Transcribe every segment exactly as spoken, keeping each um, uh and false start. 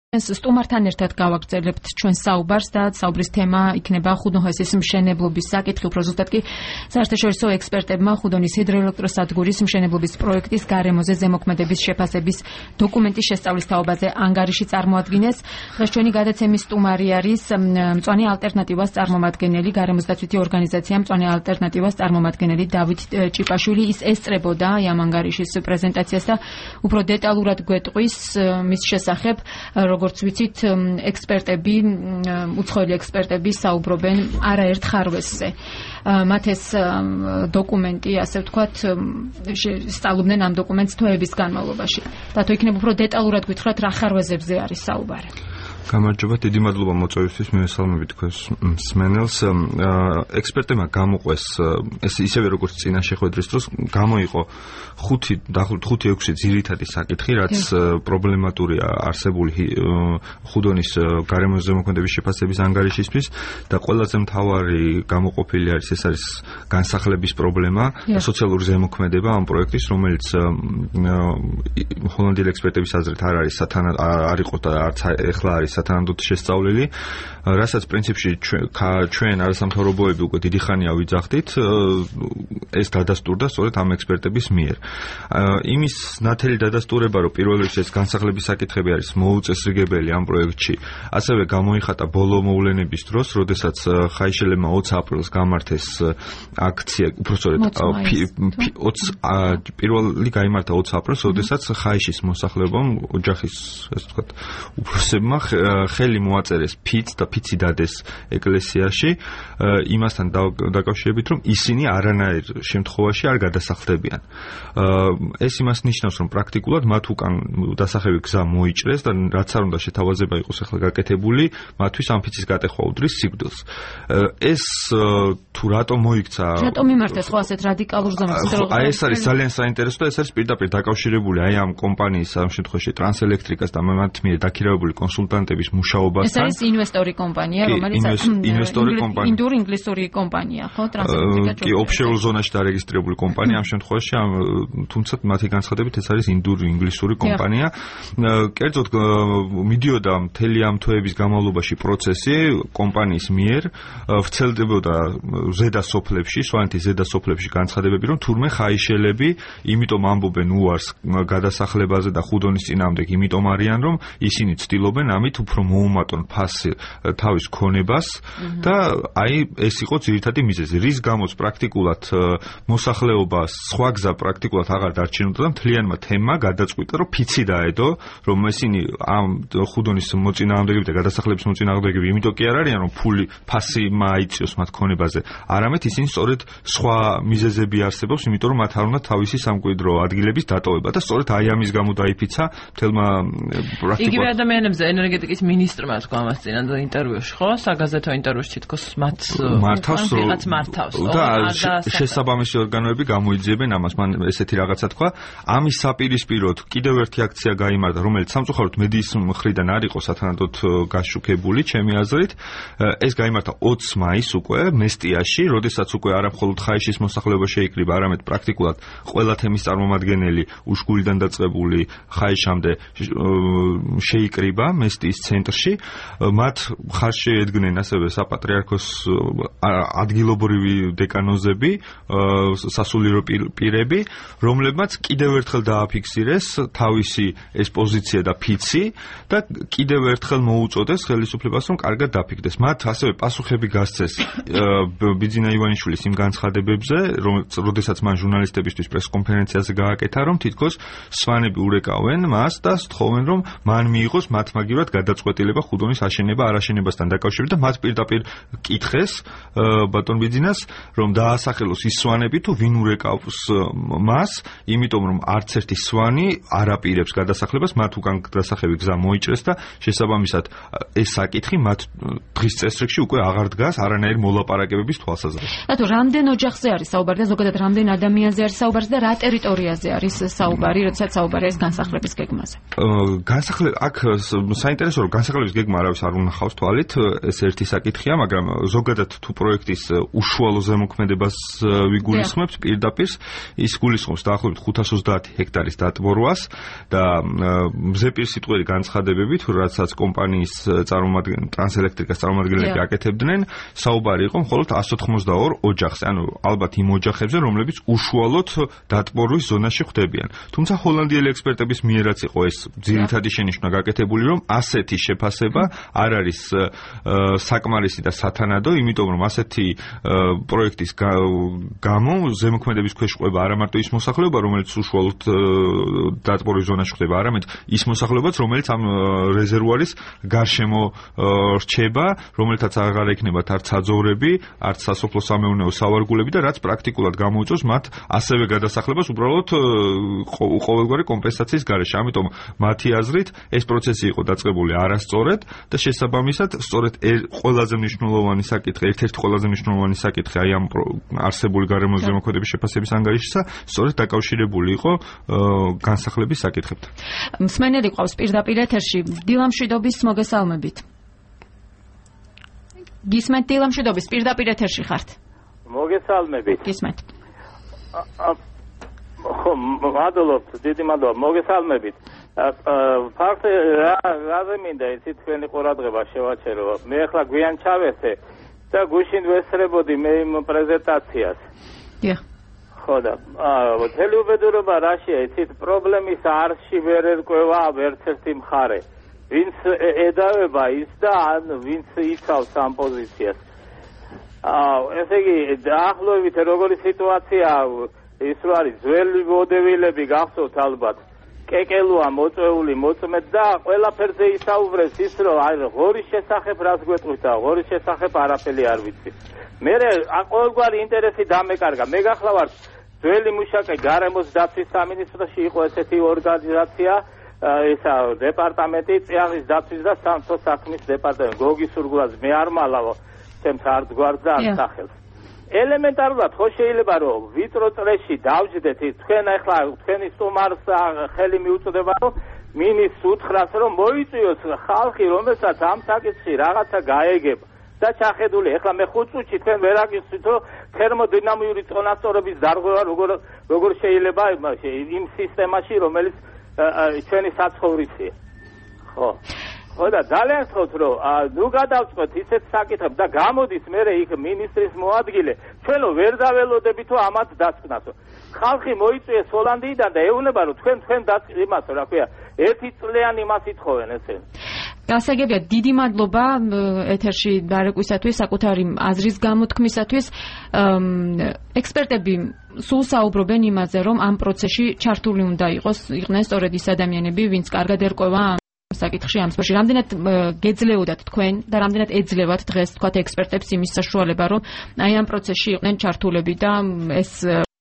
სტუმართან ერთად გავაგრძელებთ ჩვენ საუბარს და საუბრის თემა იქნება ხუდონჰესის მშენებლობის საკითხი, უფრო ზუსტად კი საერთაშორისო ექსპერტებმა ხუდონის ჰიდროელექტროსადგურის მშენებლობის პროექტის გარემოზე ზემოქმედების შეფასების დოკუმენტის შესწავლის თაობაზე ანგარიში წარმოადგინეს. დღეს ჩვენი გადაცემის სტუმარი არის მწვანე ალტერნატივას წარმომადგენელი, გარემოსდაცვითი ორგანიზაცია მწვანე ალტერნატივას წარმომადგენელი დავით ჭიპაშვილი. ის ესწრებოდა ამ ანგარიშის პრეზენტაციას და უფრო დეტალურად გვეტყვის მის შესახებ. როგორც ვიცით, ექსპერტები, უცხოელი ექსპერტები საუბრობენ არაერთ ხარვესზე. მათ ეს დოკუმენტი, ასე ვთქვათ, სწავლობდნენ ამ დოკუმენტს თვეების განმავლობაში. დათო, იქნება უფრო დეტალურად გითხრათ, რა ხარვეზებზე არის საუბარი. გამარჯობა, დიდი მადლობა მოწვევისთვის, მივესალმები თქვენს მსმენელს. ექსპერტებმა გამოყვეს ეს ისევე როგორც წინა შეხვედრის დროს გამოიყო ხუთი დაახლოებით ხუთი ექვსი ძირითადი საკითხი, რაც პრობლემატურია არსებული ხუდონის გარემოს ზემოქმედების შეფასების ანგარიშისთვის და ყველაზე მთავარი გამოყოფილი არის ეს არის განსახლების პრობლემა, სოციალური ზემოქმედება ამ პროექტის, რომელიც ჰოლანდიელი ექსპერტების აზრით არ არის არ იყო და არც ეხლა არის სათანადოდ შესწავლილი, რასაც პრინციპში ჩვენ არასამთავრობოები უკვე დიდი ხანია ვიძახდით, ეს დადასტურდა სწორედ ამ ექსპერტების მიერ. იმის ნათელი დადასტურება, რომ პირველ რიგში ეს განსახლების საკითხები არის მოუწესრიგებელი ამ პროექტში, ასევე გამოიხატა ბოლო მოვლენების დროს, როდესაც ხაიშელებმა ოცი აპრილს გამართეს აქცია, უბრალოდ პირველი გაიმართა ოცი აპრილს, როდესაც ხაიშის მოსახლეობამ, ოჯახის, ასე ვთქვათ, უფროსებმა ხელი მოაწერეს ფიც და ფიცი დადეს ეკლესიაში, იმასთან დაკავშირებით, რომ ისინი არანაირ შემთხვევაში არ გადასახლდებიან. ეს იმას ნიშნავს, რომ პრაქტიკულად მათ უკან დასახევი გზა მოიჭრეს და რაც არ უნდა შეთავაზება იყოს ახლა გაკეთებული, მათთვის ამ ფიცის გატეხვა უდრის სიკვდილს. ეს თუ რატომ მოიქცა? რატომ მიმართეს ხო ასეთ რადიკალურ ზომას? აი ეს არის ძალიან საინტერესო და ეს არის პირდაპირ დაკავშირებული აი ამ კომპანიის ამ შემთხვევაში ტრანსელექტრიკას და მათ მიერ დაქირავებული კონსულტანტების მუშაობასთან. ეს არის ინვესტორი კომპანია, რომელიც ინვესტორი კომპანია. ინდურ-ინგლისური კომპანია, ხო? ტრანსელექტრიკა. კი, ოფშორულ ზონაში დარეგისტრირებული კომპანია ამ შემთხვევაში, თუმცა მათი განცხადებით ეს არის ინდურ-ინგლისური კომპანია. კერძოდ მიდიოდა მთელი ამ თვეების განმავლობაში პროცესი კომპანიის მიერ, ვრცელდებოდა ზედა სოფლებში, სვანეთის ზედა სოფლებში განცხადებები, რომ თურმე ხაიშელები, იმიტომ ამბობენ უარს გადასახლებაზე და ხუდონის წინააღმდეგ, იმიტომ არიან, რომ ისინი ცდილობენ ამით უფრო მოუმატონ ფასი თავის ქონებას და აი ეს იყო ძირითადი მიზეზი, რის გამოც პრაქტიკულად მოსახლეობა სხვა გზა პრაქტიკულად აღარ დარჩენოდა და მთლიანმა თემმა გადაწყვიტა, რომ ფიცი დაედო, რომ ისინი ამ ხუდონის მოწინააღმდეგეები და გადასახლების მოწინააღმდეგეები იმიტომ კი არ არიან, რომ ფული ფასი მაიწიოს მათ ქონებაზე, არამედ ისინი სწორედ სხვა მიზეზები არსებობს, იმიტომ რომ მათ არ უნდა თავისი სამკვიდრო ადგილების დატოვება და სწორედ აი ამის გამო დაიფიცა მთელმა პრაქტიკულად იგივე ადამიანებზე ენერგეტიკის მინისტრმა თქვა ამას წინა ინტერვიუში, ხო? საგაზეთო ინტერვიუში თითქოს მათ მართავს მართავს და შესაბამისი ორგანოები გამოიძიებენ ამას. მან ესეთი რაღაცა თქვა. ამის საპირისპიროდ კიდევ ერთი აქცია გაიმართა, რომელიც სამწუხაროდ მედიის მხრიდან არ იყო სათანადოდ გაშუქებული, ჩემი აზრით. ეს გაიმართა ოცი მაისს უკვე მესტიაში, როდესაც უკვე არა მხოლოდ ხაიშის მოსახლეობა შეიკრიბა, არამედ პრაქტიკულად ყველა თემის წარმომადგენელი უშგურიდან დაწყებული ხაიშამდე შეიკრიბა მესტიის ცენტრში. მათ ხარში ედგნენ ასევე საპატრიარქოს ადგილობრივი დეკანოზები, სასულიერო პირები, რომლებმაც კიდევ ერთხელ დააფიქსირეს თავისი ეს პოზიცია და ფიცი და კიდევ ერთხელ მოუწოდეს ხელისუფლებას, რომ კარგად დაფიქდეს. მათ ასევე პასუხები გასცეს ბიძინა ივანიშვილის იმ განცხადებებზე, როდესაც მან ჟურნალისტებისთვის პრესკონფერენციაზე გააკეთა, რომ თითქოს სვანები ურეკავენ მას და სთხოვენ, რომ მან მიიღოს მათმაგივრად გადაწყვეტილება ხუდონის აშენება არაშენებასთან დაკავშირებით და მათ პირდაპირ კითხეს ბატონ ბიძინას, რომ დაასახელოს ის სვანები თუ ვინ ურეკავს მას, იმიტომ რომ არც ერთი სვანი არ აპირებს გადასახლებას, მათ უკან დასახევი გზა მოიჭრეს და შესაბამისად ეს საკითხი მათ დღის წესრიგში უკვე აღარ დგას არანაირი მოლაპარაკებების თვალსაზრისით. რატო რამდენ ოჯახზე არის საუბარი და ზოგადად რამდენ ადამიანზე არის საუბარი და რა ტერიტორიაზე არის საუბარი, როდესაც საუბარი არის განსახლების გეგმაზე? განსახლება აქ საინტერესო რომ განსაკუთრების გეგმა არავის არ უნახავს თვალით, ეს ერთი საკითხია, მაგრამ ზოგადად თუ პროექტის უშუალო ზემოქმედებას ვიგულისხმებთ პირდაპირ, ის გულისხმობს დაახლოებით ხუთას ოცდაათი ჰექტარის დატბორვას და მზეპირ სიტყვიერი განცხადებებით, რასაც კომპანიის წარმომადგენლები, ტრანსელექტრიკას წარმომადგენლები აკეთებდნენ, საუბარი იყო მხოლოდ εκατს ოთხმოცდაორ ოჯახზე, ანუ ალბათ იმ ოჯახებზე, რომლებიც უშუალოდ დატბორვის ზონაში ხვდებიან. თუმცა ჰოლანდიელი ექსპერტების მიერაც იყო ეს ძირითადი შენიშვნა გაკეთებული, რომ ასეთი შეფასება არ არის საკმარისი და სათანადო, იმიტომ რომ ასეთი პროექტის გამო ზემოქმედების ქვეშ ყვება არა მარტო ის მოსახლეობა, რომელიც უშუალოდ დატბორვის ზონაში ხვდება, არამედ ის მოსახლეობაც, რომელიც ამ რეზერვუარის გარშემო რჩება, რომელთაც აღარ ექნებათ არც საძოვრები, არც სასოფლო სამეურნეო სავარგულები და რაც პრაქტიკულად გამოუწევს მათ ასევე გადასახლებას უბრალოდ ყოველგვარი კომპენსაციის გარეშე. ამიტომ მათი აზრით ეს პროცესი იყო დაწყებული არასწორად და შესაბამისად სწორედ ყველაზე მნიშვნელოვანი საკითხი, ერთ-ერთი ყველაზე მნიშვნელოვანი საკითხი აი ამ არსებული გარემოს ზემოქმედების შეფასების ანგარიშისა სწორედ დაკავშირებული იყო განსახლების საკითხებთან. მსმენელი ყავს პირდაპირ ეთერში. დილამშვიდობის მოგესალმებით. გისმენთ დილამშვიდობის პირდაპირ ეთერში ხართ. მოგესალმებით. გისმენთ. ხო, მადლობთ, დიდი მადლობა. მოგესალმებით. ფაქტი რაზე მინდა იცით თქვენი ყურადღება შევაჩერო. მე ახლა გვიან ჩავესე და გუშინ ვესწრებოდი მე იმ პრეზენტაციას. დიახ. ხო და მთელი უბედურება რაშია, იცით, პრობლემის არში ვერ ერკვევა ერთ-ერთი მხარე. ვინც ედავება ის და ან ვინც იცავს ამ პოზიციას. ესე იგი, დაახლოებით როგორი სიტუაცია ის რო არის, ძველი მოდევილები გახსოვთ ალბათ, კეკელუა მოწვეული მოწმედ და ყველაფერზე ისაუბრეს ის, რომ აი ღორის შესახებ რას გვეტყვით და ღორის შესახებ არაფერი არ ვიცი. მე ყოველგვარი ინტერესი დამეკარგა. მე გახლავართ ძველი მუშაკი გარემოს დაცვის სამინისტროში იყო ესეთი ორგანიზაცია, ესა დეპარტამენტი წიაღის დაცვის და სამთო საქმის დეპარტამენტი. გოგი სურგულაძე, მე არ მალავო ჩემს არც გვარს და არც სახელს. ელემენტარულად ხო შეიძლება რომ ვიწრო წრეში დავждეთ თქვენ ახლა თქვენი სტუმარს ხელი მიუწოდება რომ მინის უთხრას რომ მოიწვიოს ხალხი რომელსაც ამ საკითხში რაღაცა გაეგება და ჩახედული. ახლა მე ხუთ წუთში თქვენ ვერ აგიხსნით რომ თერმოდინამიური წონასწორობის დარღვევა როგორ როგორ შეიძლება იმ სისტემაში რომელიც ჩვენი საცხოვრისია. ხო ხო და ძალიან ხოთ რომ ნუ გადავწყვეთ ისეთ საკითხებს და გამოდის მე იქ მინისტრის მოადგილე ჩვენო ვერ დაველოდებით რომ ამათ დასკვნასო. ხალხი მოიწვიეს ჰოლანდიიდან და ეუბნება რომ თქვენ თქვენ იმასო რა ქვია ერთი წლიანი მას ითხოვენ ესე. გასაგებია, დიდი მადლობა ეთერში დარეკვისათვის, საკუთარი აზრის გამოთქმისათვის. ექსპერტები სულ საუბრობენ იმაზე, რომ ამ პროცესში ჩართული უნდა იყოს იყვნენ სწორედ ის ადამიანები, ვინც კარგად ერკვევა საკითხში ამ სფეროში. რამდენად გეძლეოდათ თქვენ და რამდენად ეძლევათ დღეს თქვათ ექსპერტებს იმის საშუალება, რომ აი ამ პროცესში იყვნენ ჩართულები და ეს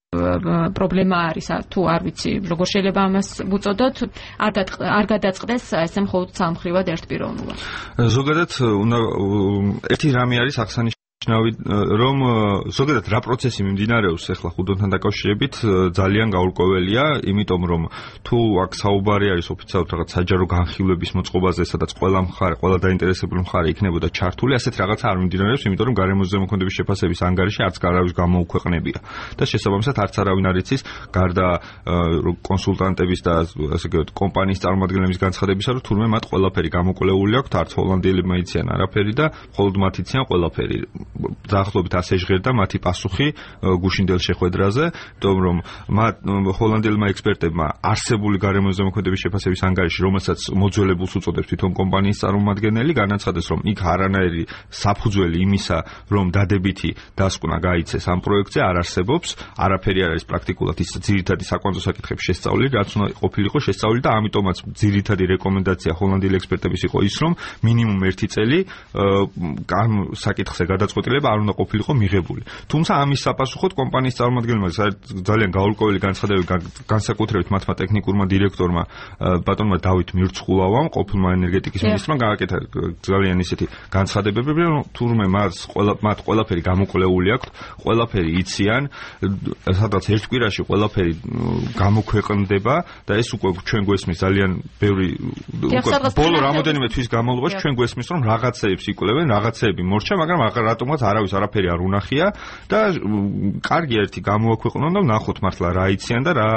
პრობლემა არის თუ არ ვიცი როგორ შეიძლება ამას ვუწოდოთ, არ გადაწყდეს ესე მხოლოდ სამხრივად ერთპიროვნულად. ზოგადად უნდა ერთი რამე არის აღსანიშნავი, რომ ზოგადად რა პროცესი მიმდინარეობს ახლა ხუდონთან დაკავშირებით ძალიან გაურკვეველია, იმიტომ რომ თუ აქ საუბარი არის ოფიციალურად რაღაც საჯარო განხილვების მოწყობაზე, სადაც ყველა მხარე, ყველა დაინტერესებული მხარე იქნებოდა ჩართული, ასეთ რაღაცა არ მიმდინარეობს, იმიტომ რომ გარემოს ზემოქმედების შეფასების ანგარიში არც გარავის გამოუქვეყნებია და შესაბამისად არც არავინ არ იცის გარდა კონსულტანტების და ასე ვთქვათ კომპანიის წარმომადგენლების განცხადებისა, რომ თურმე მათ ყველაფერი გამოკვლეული აქვთ, არც ჰოლანდიელებმა იციან არაფერი და მხოლოდ მათ იციან ყველაფერი. დაახლოებით ასე ჟღერდა მათი პასუხი გუშინდელ შეხვედრაზე, იმიტომ რომ მათ ჰოლანდიელმა ექსპერტებმა არსებული გარემოს ზემოქმედების შეფასების ანგარიში, რომელსაც მოძველებულს უწოდებს თვითონ კომპანიის წარმომადგენელი, განაცხადეს, რომ იქ არანაირი საფუძველი იმისა, რომ დადებითი დასკვნა გაიცეს ამ პროექტზე არ არსებობს, არაფერი არ არის პრაქტიკულად ის ძირითადი საკვანძო საკითხების შესწავლილი, რაც უნდა ყოფილიყო შესწავლილი და ამიტომაც ძირითადი რეკომენდაცია ჰოლანდიელი ექსპერტების იყო ის, რომ მინიმუმ ერთი წელი ამ საკითხზე გადაწყვეტილების გადაწყვეტილება არ უნდა ყოფილიყო მიღებული. თუმცა ამის საპასუხოდ კომპანიის წარმომადგენელმა ძალიან გაურკვეველი განცხადებები განსაკუთრებით მათმა ტექნიკურმა დირექტორმა ბატონმა დავით მირცხულავამ, ყოფილმა ენერგეტიკის მინისტრმა გააკეთა ძალიან ისეთი განცხადებები, რომ თურმე მას ყველა მათ ყველაფერი გამოკვლეული აქვთ, ყველაფერი იციან, სადაც ერთ კვირაში ყველაფერი გამოქვეყნდება და ეს უკვე ჩვენ გვესმის ძალიან ბევრი ბოლო რამოდენიმე თვის განმავლობაში ჩვენ გვესმის რომ რაღაცეებს იკვლევენ, რაღაცეები მორჩა, მაგრამ რატომღაც არავის არაფერი არ უნახია და კარგი ერთი გამოაქვეყნონ და ნახოთ მართლა რა იციან და რა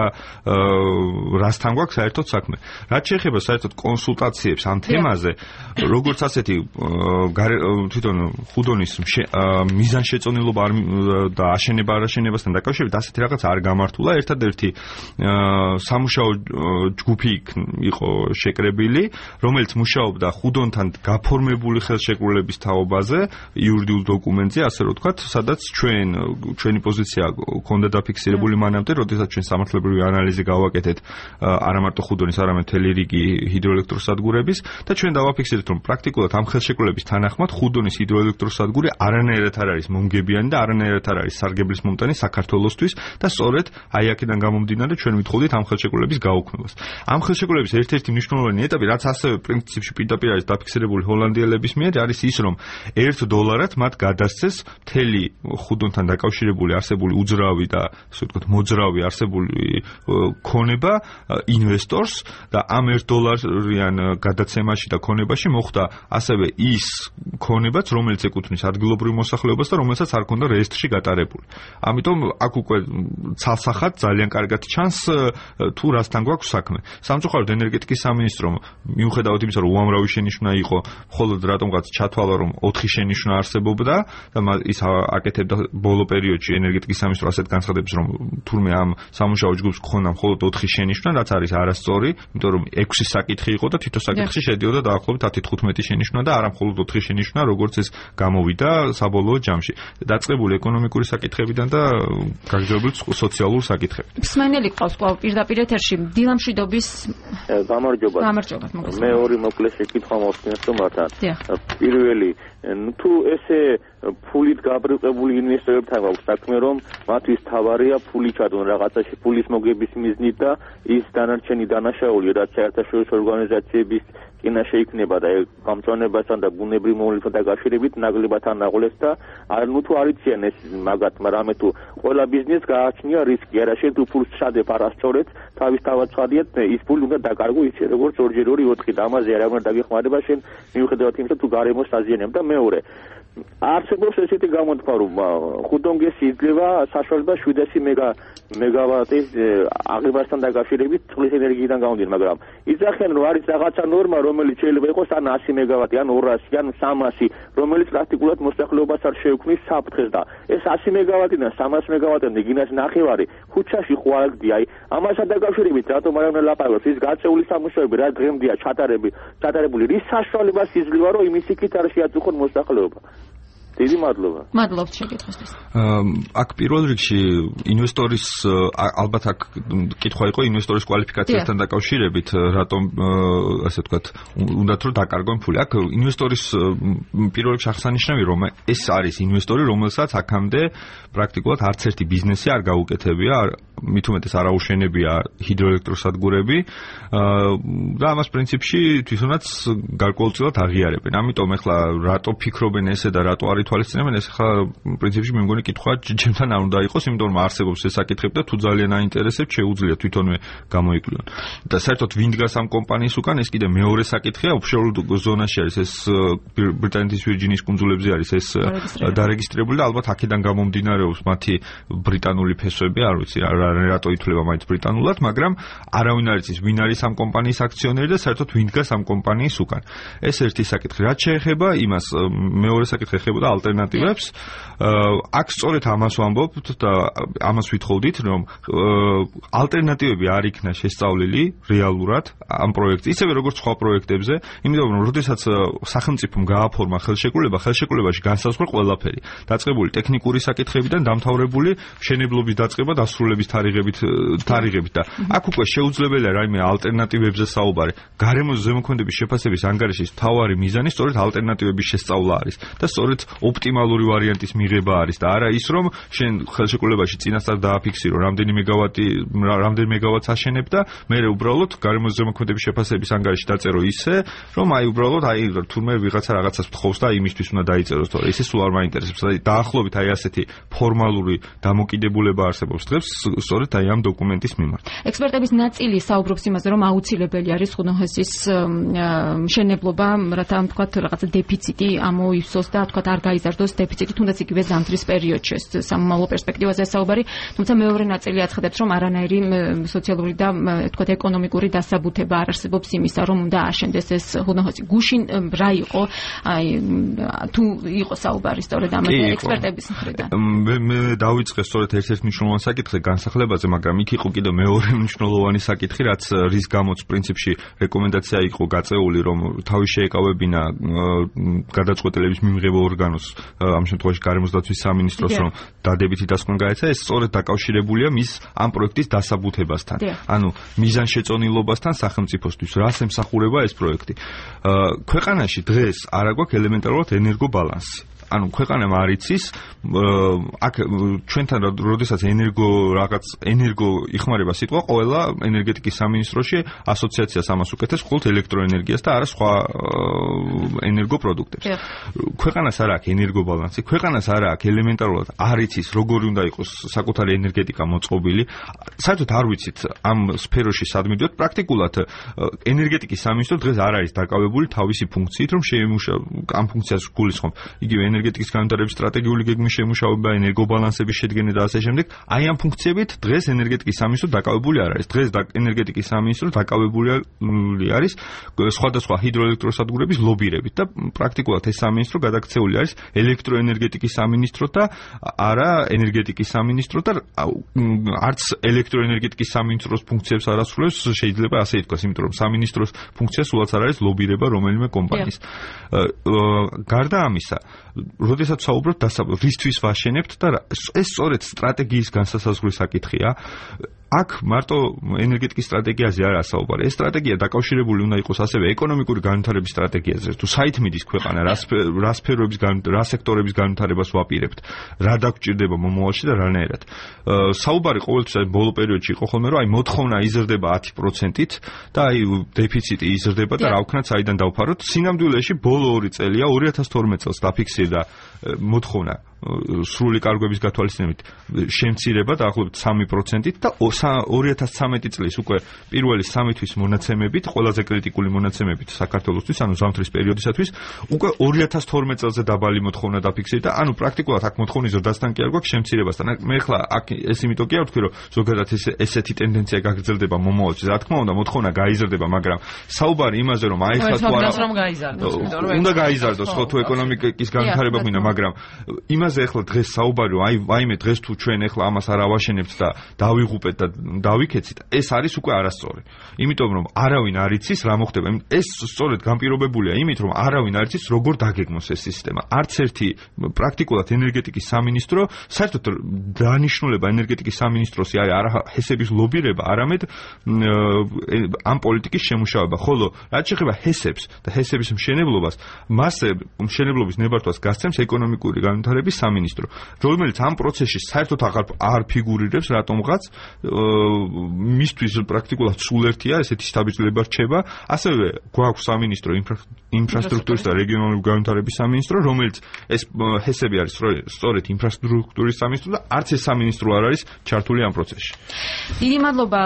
რასთან გვაქვს საერთოდ საქმე. რაც შეეხება საერთოდ კონსულტაციებს ამ თემაზე, როგორც ასეთი თვითონ ხუდონის მიზანშეწონილობა და აშენება არ აშენებასთან დაკავშირებით ასეთი რაღაც არ გამართულა. ერთადერთი სამუშაო ჯგუფი იყო შეკრებილი, რომელიც მუშაობდა ხუდონთან გაფორმებული ხელშეკრულების თაობაზე, იურიდიულ დოკუმენტზე, ასე რომ ვთქვათ, სადაც ჩვენ ჩვენი პოზიცია ქონდა დაფიქსირებული მანამდე, როდესაც ჩვენ სამართლებრივი ანალიზი გავაკეთეთ არა მარტო ხუდონის, არამედ მთელი რიგი ჰიდროელექტროსადგურების და ჩვენ დავაფიქსირეთ, რომ პრაქტიკულად ამ ხელშეკრულების თანახმად ხუდონის ჰიდროელექტროსადგური არანაირად არ არის მომგებიანი და არანაირად არ არის სარგებლის მომტანი საქართველოსთვის და სწორედ აი აქედან გამომდინარე ჩვენ ვითხოვდით ამ ხელშეკრულების გაუქმებას. ამ ხელშეკრულების ერთ-ერთი მნიშვნელოვანი ეტაპი, რაც ასევე პრინციპში პირდაპირ არის დაფიქსირებული ჰოლანდიელების მიერ, არის ის, რომ ერთ დოლარად მათ გადასცეს მთელი ხუდონთან დაკავშირებული არსებული უძრავი და ასე ვთქვათ მოძრავი არსებული ქონება ინვესტორს და ამ ერთ დოლარიან გადაცემაში და ქონებაში მოხდა ასევე ის ქონებაც, რომელიც ეკუთვნის ადგილობრივ მოსახლეობას და რომელსაც არ ქონდა რეესტრში გატარებული. ამიტომ აქ უკვე ცალსახად ძალიან კარგად ჩანს თუ რასთან გვაქვს საქმე. სამწუხაროდ ენერგეტიკის სამინისტრომ მიუხედავად იმისა, რომ უამრავი შენიშვნა იყო, მხოლოდ რატომღაც ჩათვალა, რომ ოთხი შენიშვნა არსებობდა და ის აკეთებდა ბოლო პერიოდში ენერგეტიკის სამინისტრო ასეთ განცხადებს, რომ თურმე ამ სამუშაო ჯგუფს გქონდა მხოლოდ ოთხი შენიშვნა, რაც არის არასწორი, იმიტომ რომ ექვსი საკითხი იყო და თითო საკითხში შედიოდა დაახლოებით ათი თხუთმეტი შენიშვნა და არა მხოლოდ ოთხი შენიშვნა, როგორც ეს გამოვიდა საბოლოო ჯამში. დაწყებული ეკონომიკური საკითხებიდან და გაგრძელებული სოციალური საკითხებით. მსმენელი ყავს კვლავ პირდაპირ ეთერში დილამშვიდობის გამარჯობა. გამარჯობა, მოგესალმებით. მე ორი მოკლე შეკითხვა მოხსნეს თომართან. პირველი, თუ ესე ფულით გაბრუყებული ინვესტორებთან გვაქვს საქმე, რომ მათთვის თავარია ფული ჩადონ რაღაცაში ფულის მოგების მიზნით და ის დანარჩენი დანაშაული, რაც საერთაშორისო ორგანიზაციების წინა შეიქმნება და გამწვანებასთან და ბუნებრივ მოვლენებთან დაკავშირებით ნაკლებად ანაღლეს და არ ნუ თუ არ იციან ეს მაგათ, მაგრამ თუ ყველა ბიზნესს გააჩნია რისკი, არა შენ თუ ფულს ჩადებ არასწორად, თავის თავად ცხადიათ, ის ფული უნდა დაკარგო ისე როგორც ორჯერ ორი ოთხი და ამაზე არ უნდა დაგეხმარება შენ მიუხედავად იმისა თუ გარემოს აზიანებ და მეორე არსებობს ესეთი გამოთქვა, რომ ხუდონგესი იძლევა საშუალება შვიდასი მეგავატის აღებასთან დაკავშირებით წყლის ენერგიიდან გამომდინარე, მაგრამ იძახიან, რომ არის რაღაცა ნორმა, რომელიც შეიძლება იყოს ან ასი მეგავატი, ან ორასი, ან სამასი, რომელიც პრაქტიკულად მოსახლეობას არ შეექმნის საფრთხეს და ეს ასი მეგავატიდან სამას მეგავატამდე გინას ნახევარი ხუთშაში ხო არ გდია. აი, ამასთან დაკავშირებით რატომ არ უნდა ლაპარაკოს? ის გაწეული სამუშაოები რა დღემდეა ჩატარები, ჩატარებული, რის საშუალებას იძლევა, რომ იმის იქით არ შეაწუხონ მოსახლეობა? დიდი მადლობა. მადლობთ შეკითხვისთვის. აქ პირველ რიგში ინვესტორის ალბათ აქ კითხვა იყო ინვესტორის კვალიფიკაციასთან დაკავშირებით, რატომ ასე ვთქვათ, უნდათ რომ დაკარგონ ფული. აქ ინვესტორის პირველ რიგში აღსანიშნავია, რომ ეს არის ინვესტორი, რომელსაც აქამდე პრაქტიკულად არც ერთი ბიზნესი არ გაუკეთებია, მით უმეტეს არ აუშენებია ჰიდროელექტროსადგურები და ამას პრინციპში თვითონაც გარკვეულწილად აღიარებენ. ამიტომ ეხლა რატო ფიქრობენ ესე და რატო არ ითვალისწინებენ, ეს ხა პრინციპში მე მგონი კითხვა ჩემთან არ უნდა იყოს, იმიტომ რომ არსებობს ეს საკითხები და თუ ძალიან აინტერესებს, შეუძლია თვითონვე გამოიკვლიონ. და საერთოდ ვინ დგას ამ კომპანიის უკან, ეს კიდე მეორე საკითხია, ოფშორ ზონაში არის ეს ბრიტანეთის ვირჯინიის კუნძულებზე არის ეს დარეგისტრირებული და ალბათ აქედან გამომდინარეობს მათი ბრიტანული ფესვები, არ ვიცი, რატო ითვლება მაინც ბრიტანულად, მაგრამ არავინ არ იცის ვინ არის ამ კომპანიის აქციონერი და საერთოდ ვინ დგას ამ კომპანიის უკან. ეს ერთი საკითხი. რაც შეეხება იმას, მეორე საკითხი ეხებოდა ალტერნატივებს. აქ სწორედ ამას ვამბობთ და ამას ვითხოვდით, რომ ალტერნატივები არ იქნა შესწავლილი რეალურად ამ პროექტზე, ისევე როგორც სხვა პროექტებზე, იმიტომ რომ როდესაც სახელმწიფომ გააფორმა ხელშეკრულება, ხელშეკრულებაში განსაზღვრა ყველაფერი. დაწყებული ტექნიკური საკითხებიდან დამთავრებული მშენებლობის დაწყება დასრულების თარიღებით თარიღებით და აქ უკვე შეუძლებელია რაიმე ალტერნატივებზე საუბარი. გარემოს ზემოქმედების შეფასების ანგარიშის მთავარი მიზანი სწორედ ალტერნატივების შესწავლა არის და სწორედ ოპტიმალური ვარიანტის მიღება არის და არა ის რომ შენ ხელშეკრულებაში წინასწარ დააფიქსირო რამდენი მეგავატი რამდენი მეგავატს აშენებ და მე უბრალოდ გარემოს ზემოქმედების შეფასების ანგარიში დაწერო ისე რომ აი უბრალოდ აი თურმე ვიღაცა რაღაცას თხოვს და იმისთვის უნდა დაიწეროს თორე ისე სულ არ მაინტერესებს. აი დაახლოებით აი ასეთი ფორმალური დამოკიდებულება არსებობს დღეს სწორედ აი ამ დოკუმენტის მიმართ. ექსპერტების ნაწილი საუბრობს იმაზე რომ აუცილებელი არის ხუნოჰესის მშენებლობა, რათა თქვათ რაღაცა დეფიციტი ამოივსოს და თქვათ არ გაიზარდოს დეფიციტი თუნდაც იგივე ზამთრის პერიოდში სამომავლო პერსპექტივაზე საუბარი, თუმცა მეორე ნაწილი აცხადებს რომ არანაირი სოციალური და თქვათ ეკონომიკური დასაბუთება არ არსებობს იმისა რომ უნდა აშენდეს ეს ხუნოჰესი. გუშინ რა იყო აი თუ იყო საუბარი სწორედ ამ ექსპერტების მხრიდან. მე მე დავიწყე სწორედ ერთ-ერთ მნიშვნელოვან საკითხზე განსახლებაზე, მაგრამ იქ იყო კიდევ მეორე მნიშვნელოვანი საკითხი, რაც რის გამოც პრინციპში რეკომენდაცია იყო გაწეული, რომ თავი შეეკავებინა გადაწყვეტილების მიმღება ორგანოს, ამ შემთხვევაში გარემოს დაცვის სამინისტროს, რომ დადებითი დასკვნა გაეცა, ეს სწორედ დაკავშირებულია მის ამ პროექტის დასაბუთებასთან. ანუ მიზანშეწონილობასთან სახელმწიფოსთვის, რას ემსახურება ეს პროექტი. ქვეყანაში დღეს არ აქვს ელემენტარულად ენერგობალანსი. ანუ ქვეყანამ არ იცის აქ ჩვენთან როდესაც ენერგო რაღაც ენერგო იხმარება სიტყვა ყველა ენერგეტიკის სამინისტროში ასოციაციას ამას უკეთებს მხოლოდ ელექტროენერგიას და არა სხვა ენერგო პროდუქტებს. ქვეყანას არ აქვს ენერგობალანსი, ქვეყანას არ აქვს ელემენტარულად არ იცის როგორი უნდა იყოს საკუთარი ენერგეტიკა მოწყობილი. საერთოდ არ ვიცით ამ სფეროში სად მიდიოთ. პრაქტიკულად ენერგეტიკის სამინისტრო დღეს არ არის დაკავებული თავისი ფუნქციით, რომ შეემუშაოს ამ ფუნქციას გულისხმობ. იგივე ენერგეტიკის განვითარების სტრატეგიული გეგმის შემუშავება, ენერგობალანსების შედგენა და ასე შემდეგ. აი ამ ფუნქციებით დღეს ენერგეტიკის სამინისტრო დაკავებული არ არის. დღეს ენერგეტიკის სამინისტრო დაკავებული არის სხვადასხვა ჰიდროელექტროსადგურების ლობირებით და პრაქტიკულად ეს სამინისტრო გადაქცეული არის ელექტროენერგეტიკის სამინისტრო და არა ენერგეტიკის სამინისტრო და არც ელექტროენერგეტიკის სამინისტროს ფუნქციებს არ ასრულებს, შეიძლება ასე ითქვას, იმიტომ რომ სამინისტროს ფუნქცია სულაც არ არის ლობირება რომელიმე კომპანიის. გარდა ამისა, როდესაც საუბრობთ დასაბუთებაზე, რისთვის ვაშენებთ და ეს სწორედ სტრატეგიის განსასაზღვრის საკითხია. აქ მარტო ენერგეტიკის სტრატეგიაზე არა საუბარი. ეს სტრატეგია დაკავშირებული უნდა იყოს ასევე ეკონომიკური განვითარების სტრატეგიაზე. თუ საით მიდის ქვეყანა, რა სფეროების რა სექტორების განვითარებას ვაპირებთ, რა დაგვჭირდება მომავალში და რანაირად. საუბარი ყოველთვის ბოლო პერიოდში იყო ხოლმე, რომ აი მოთხოვნა იზრდება ათი პროცენტით და აი დეფიციტი იზრდება და რა ვქნათ, საიდან დავფაროთ. სინამდვილეში ბოლო ორი წელია, ორი ათას თორმეტ წელს დაფიქსირდა მოთხოვნა სრული კარგვების გათვალისწინებით შემცირება დაახლოებით სამი პროცენტით და ორი ათას ცხრამეტი წლის უკვე პირველი სამი თვის მონაცემებით, ყველაზე კრიტიკული მონაცემებით საქართველოსთვის, ანუ ზამთრის პერიოდისათვის, უკვე ორი ათას თორმეტ წელზე დაბალი მოთხოვნა დაფიქსირდა. ანუ პრაქტიკულად აქ მოთხოვნის ზრდასთან კი არ გვაქვს შემცირებასთან. მე ხლა აქ ეს იმიტომ კი არ ვთქვი, რომ ზოგადად ეს ესეთი ტენდენცია გაგრძელდება მომავალში. რა თქმა უნდა, მოთხოვნა გაიზრდება, მაგრამ საუბარი იმაზე, რომ აი ხლა თუ არა უნდა გაიზარდოს, ხო, თუ ეკონომიკის განვითარება გვინდა, მაგრამ იმას ეხლა დღეს საუბარი, აი ვაიმე დღეს თუ ჩვენ ეხლა ამას არ ავაშენებთ და დავიღუპეთ და დავიქეცით, ეს არის უკვე არასწორი. იმიტომ რომ არავინ არ იცის რა მოხდება. ეს სწორედ განპირობებულია იმით, რომ არავინ არ იცის როგორ დაგეგმოს ეს სისტემა. არც ერთი პრაქტიკულად ენერგეტიკის სამინისტრო, საერთოდ დანიშნულება ენერგეტიკის სამინისტროსი არის არა ჰესების ლობირება, არამედ ამ პოლიტიკის შემუშავება. ხოლო რაც შეეხება ჰესებს და ჰესების მშენებლობას, მას მშენებლობის ნებართვას გასცემს ეკონომიკური განვითარების სამინისტრო, რომელიც ამ პროცესში საერთოდ აღარ არ ფიგურირებს რატომღაც, მისთვის პრაქტიკულად სულ ერთია, ესეთი შთაბეჭდილება რჩება. ასევე გვაქვს სამინისტრო ინფრასტრუქტურის და რეგიონალური განვითარების სამინისტრო, რომელიც ეს ჰესები არის სწორედ ინფრასტრუქტურის სამინისტრო და არც ეს სამინისტრო არ არის ჩართული ამ პროცესში. დიდი მადლობა.